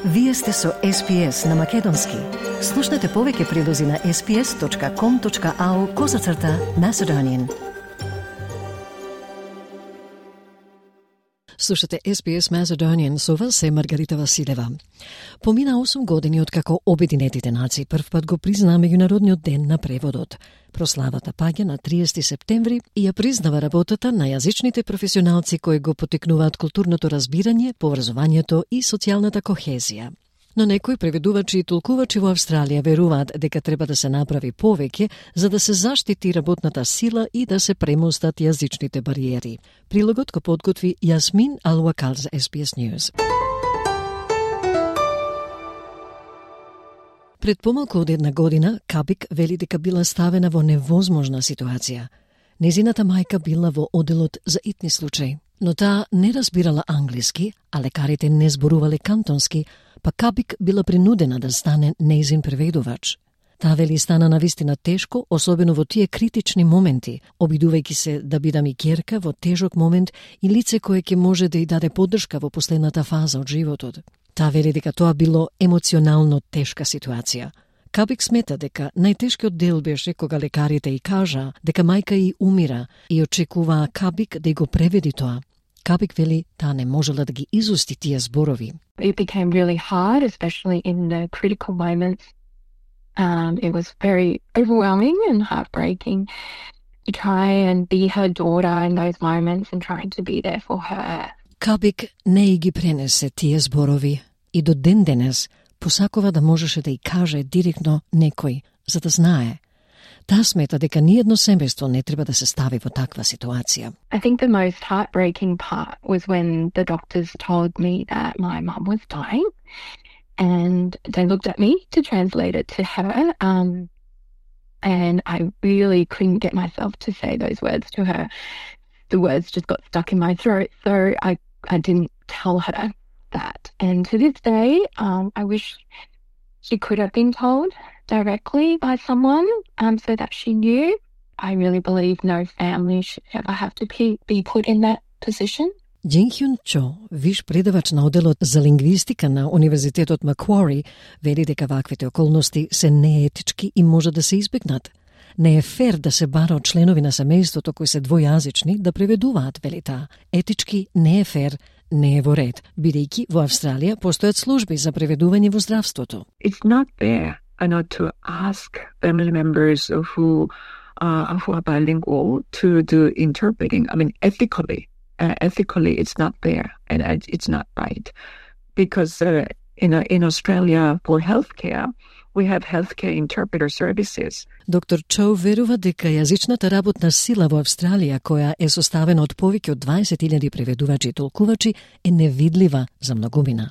Вие сте со SPS на Македонски. Слушнете повеќе прилози на sps.com.au/Macedonian. Слушате SPS Macedonian, со вас е Маргарита Василева. Помина 8 години откако Обединетите нации првпат го признаа Меѓународниот ден на преводот. Прославата паѓа на 30 септември и ја признава работата на јазичните професионалци кои го потекнуваат културното разбирање, поврзувањето и социјалната кохезија. Но некои преведувачи и толкувачи во Австралија веруваат дека треба да се направи повеќе за да се заштити работната сила и да се премостат јазичните бариери. Прилогот го подготви Јасмин Ал-Вакал за SBS News. Пред помалку од една година, Кабик вели дека била ставена во невозможна ситуација. Незината мајка била во оделот за итни случаи, но таа не разбирала англиски, а лекарите не зборувале кантонски, па Кабик била принудена да стане нејзин преведувач. Таа вели стана навистина тешко, особено во тие критични моменти, обидувајќи се да бидам и ќерка во тежок момент и лице кое ќе може да ја даде поддршка во последната фаза од животот. Таа вели дека тоа било емоционално тешка ситуација. Кабик смета дека најтешкиот дел беше кога лекарите и кажа дека мајка и умира и очекуваа Кабик да го преведи тоа. Кабик вели таа не можела да ги изусти тие зборови. It became really hard, especially in the critical moments. It was very overwhelming and heartbreaking to try and be her daughter in those moments and trying to be there for her. Кабик не ги пренесе тие зборови и до ден денес посакува да можеше да и каже директно некој, за да знае. Таа смета дека ниедно семејство не треба да се стави во таква ситуација. I think the most heartbreaking part was when the doctors told me that my mum was dying and they looked at me to translate it to her and I really couldn't get myself to say those words to her. The words just got stuck in my throat, so I didn't tell her that. And to this day, I wish she could have been told directly by someone so that she knew. I really believe no family should ever have to be put in that position. Джин Хјун Чо, виш предавач на оделот за лингвистика на Универзитетот Маквари, вели дека ваквите околности се неетички и може да се избегнат. Не е фер да се бара од членови на семејството кои се двојазични да преведуваат, вели таа. Етички не е фер, не е во ред, бидејќи во Австралија постојат служби за преведување во здравството. It's not fair to ask family members who are bilingual to do interpreting. I mean, ethically it's not fair and it's not right. Because in Australia for healthcare, we have healthcare interpreter services. Доктор Чоу верува дека јазичната работна сила во Австралија, која е составена од повеќе од 20.000 преведувачи и толкувачи, е невидлива за многумина.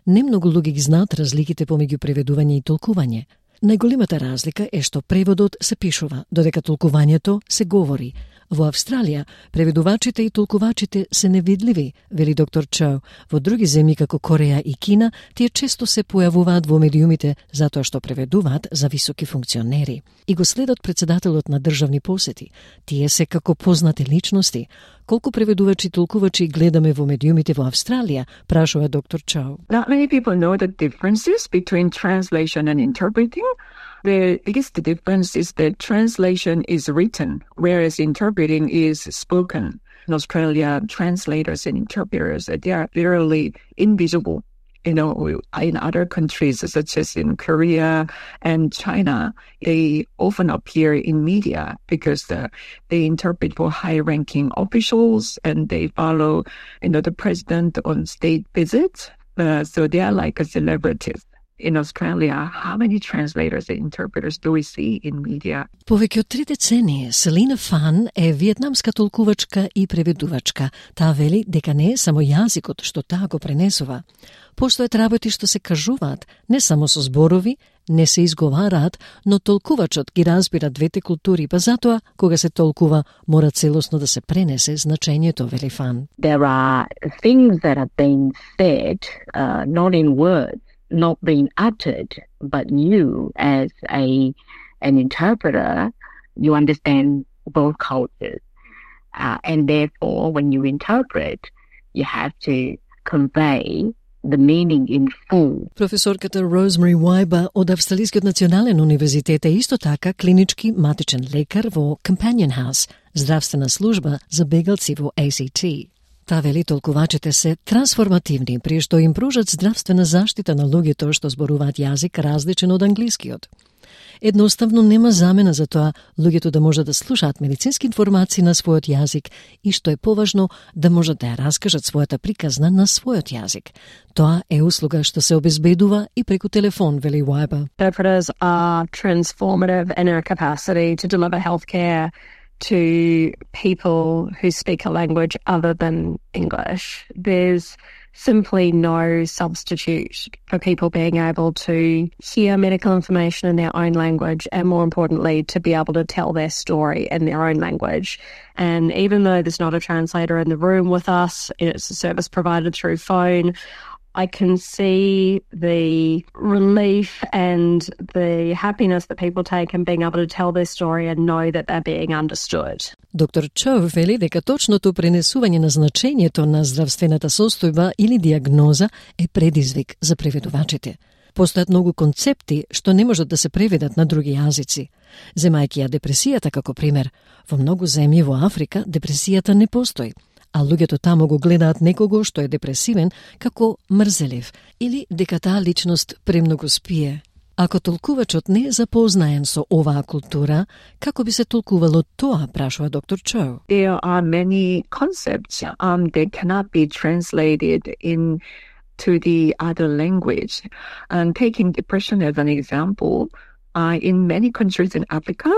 Немногу луѓе ги знаат разликите помеѓу преведување и толкување. Најголемата разлика е што преводот се пишува, додека толкувањето се говори. Во Австралија, преведувачите и толкувачите се невидливи, вели доктор Чоу. Во други земји како Кореја и Кина, тие често се појавуваат во медиумите затоа што преведуваат за високи функционери. И го следат председателот на државни посети. Тие се како познати личности. Колку преведувачи и толкувачи гледаме во медиумите во Австралија, прашува доктор Чоу. Not many people know the differences between translation and interpreting. The biggest difference is that translation is written, whereas interpreting is spoken. In Australia, translators and interpreters, they are literally invisible. In other countries, such as in Korea and China, they often appear in media because they interpret for high-ranking officials and they follow, the president on state visits. So they are like a celebrities. In Australia, how many translators and interpreters do we see in media? Повеќе од 3 децении, Селина Фан е виетнамска толкувачка и преведувачка. Таа вели дека не е само јазикот што таа го пренесува. Постојат работи што се кажуваат, не само со зборови, не се изговараат, но толкувачот ги разбира двете култури, па затоа, кога се толкува, мора целосно да се пренесе значењето, вели Фан. There are things that are being said, not in words, not being uttered, but you as an interpreter, you understand both cultures. And therefore, when you interpret, you have to convey the meaning in full. Професорката Rosemary Weiber од Австралискиот национален универзитет е исто така клинички матичен лекар во Companion House, здравствена служба за бегалци во ACT. Та вели толкувачите се трансформативни при што им пружат здравствена заштита на луѓето што зборуваат јазик различен од англискиот. Едноставно нема замена за тоа луѓето да можат да слушаат медицински информации на својот јазик и што е поважно да можат да ја раскажат својата приказна на својот јазик. Тоа е услуга што се обезбедува и преку телефон, вели Weiber. Interpreters are transformative in our capacity to deliver healthcare to people who speak a language other than English. There's simply no substitute for people being able to hear medical information in their own language and, more importantly, to be able to tell their story in their own language. And even though there's not a translator in the room with us, it's a service provided through phone, I can see the relief and the happiness that people take in being able to tell their story and know that they're being understood. Доктор Чоу вели дека точното пренесување на значењето на здравствената состојба или диагноза е предизвик за преведувачите. Постојат многу концепти што не можат да се преведат на други јазици. Земајќи ја депресијата како пример, во многу земји во Африка депресијата не постои, а луѓето таму го гледаат некого што е депресивен како мрзелив или дека таа личност премногу спие. Ако толкувачот не е запознаен со оваа култура, како би се толкувало тоа, прашува доктор Чоу? There are many concepts that cannot be translated into the other language. And taking depression as an example, in many countries in Africa,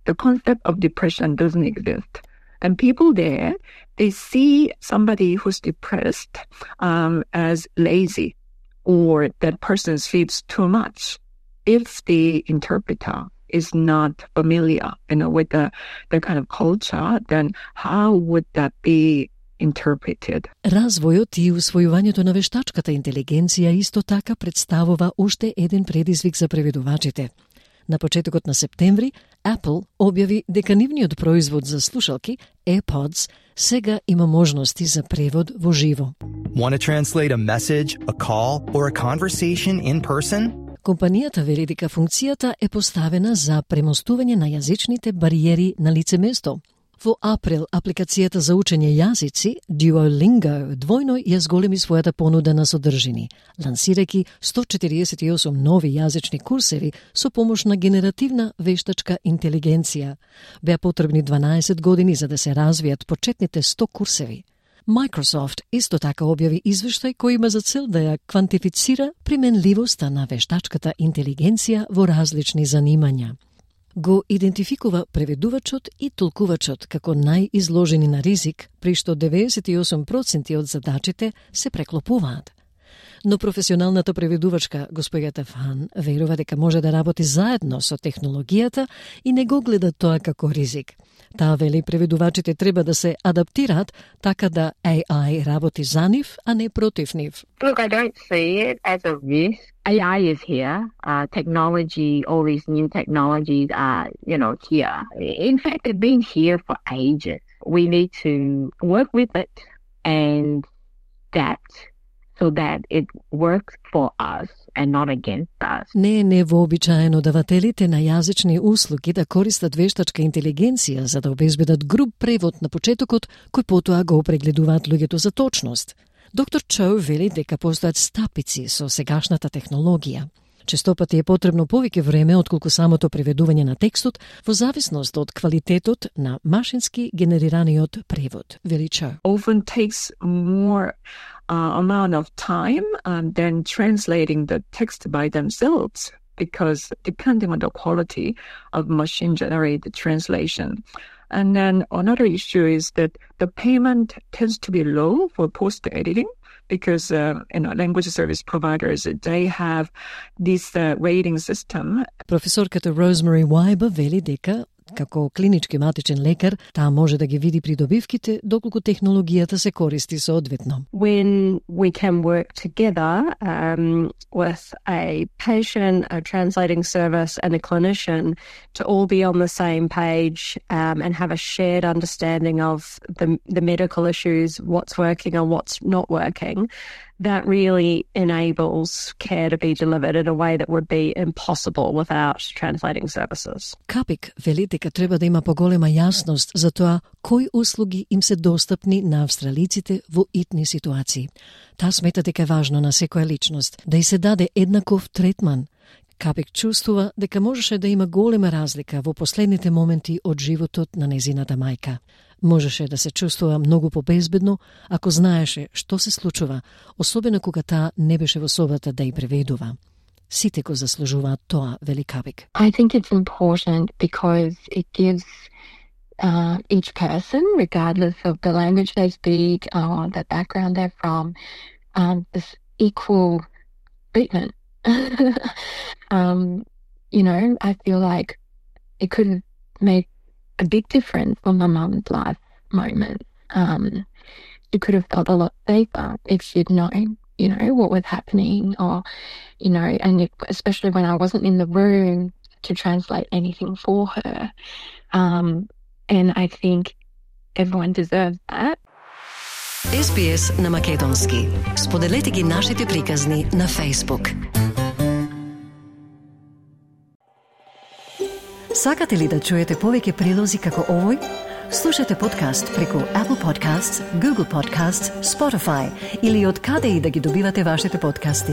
the concept of depression doesn't exist. And people there, they see somebody who's depressed as lazy, or that person sleeps too much. If the interpreter is not familiar, with the kind of culture, then how would that be interpreted? Развојот и усвојувањето на вештачката интелигенција исто така представува уште еден предизвик за преведувачите. На почетокот на септември, Apple објави дека нивниот производ за слушалки, AirPods, сега има можности за превод во живо. Want to translate a message, a call, or a conversation in person? Компанијата вели дека функцијата е поставена за премостување на јазичните бариери на лице место. Во април, апликацијата за учење јазици Duolingo двојно ја зголеми својата понуда на содржини, лансирајќи 148 нови јазични курсеви со помош на генеративна вештачка интелигенција. Беа потребни 12 години за да се развијат почетните 100 курсеви. Microsoft исто така објави извештај кој има за цел да ја квантифицира применливоста на вештачката интелигенција во различни занимања. Го идентификува преведувачот и толкувачот како најизложени на ризик, при што 98% од задачите се преклопуваат. Но професионалната преведувачка госпоѓата Фан верува дека може да работи заедно со технологијата и не го гледа тоа како ризик. Таа вели преведувачите треба да се адаптираат така да AI работи за нив, а не против нив. Look, I don't see it as a risk. AI is here. Technology, all these new technologies are, here. In fact, they've been here for ages. We need to work with it and adapt so that it works for us and not against us. Не е невообичаено давателите на јазични услуги да користат вештачка интелигенција за да обезбедат груб превод на почетокот, кој потоа го прегледуваат луѓето за точност. Доктор Чоу вели дека постојат стапици со сегашната технологија. Честопати е потребно повеќе време отколку самото преведување на текстот во зависност од квалитетот на машински генерираниот превод, вели Чоу. Often takes more amount of time than translating the text by themselves, because depending on the quality of machine-generated translation. And then another issue is that the payment tends to be low for post-editing, because language service providers, they have this rating system. Професорката Rosemary Weiber вели дека Како клинички матичен лекар, таа може да ги види придобивките доколку технологијата се користи соодветно. When we can work together with a patient, a translating service and a clinician to all be on the same page and have a shared understanding of the medical issues, what's working and what's not working, that really enables care to be delivered in a way that would be impossible without translating services. Капик вели дека треба да има поголема јасност за тоа кои услуги им се достапни на австралиците во итни ситуации. Таа смета дека е важно на секоја личност да й се даде еднаков третман. Капик чувствува дека можеше да има голема разлика во последните моменти од животот на незината мајка. Можеше да се чувствува многу побезбедно ако знаеше што се случува, особено кога таа не беше во собата да ја преведува. Сите го заслужуваат тоа, вели Капик. I think it's important because it gives each person, regardless of the language they speak or the background they're from, this equal treatment. I feel like it could have made a big difference for my mum's life moment. She could have felt a lot safer if she'd known, what was happening or, and especially when I wasn't in the room to translate anything for her. And I think everyone deserves that. SBS на македонски. Споделете ги нашите приказни на Facebook. Сакате ли да чуете повеќе прилози како овој? Слушате подкаст преку Apple Podcasts, Google Podcasts, Spotify или од каде и да ги добивате вашите подкасти.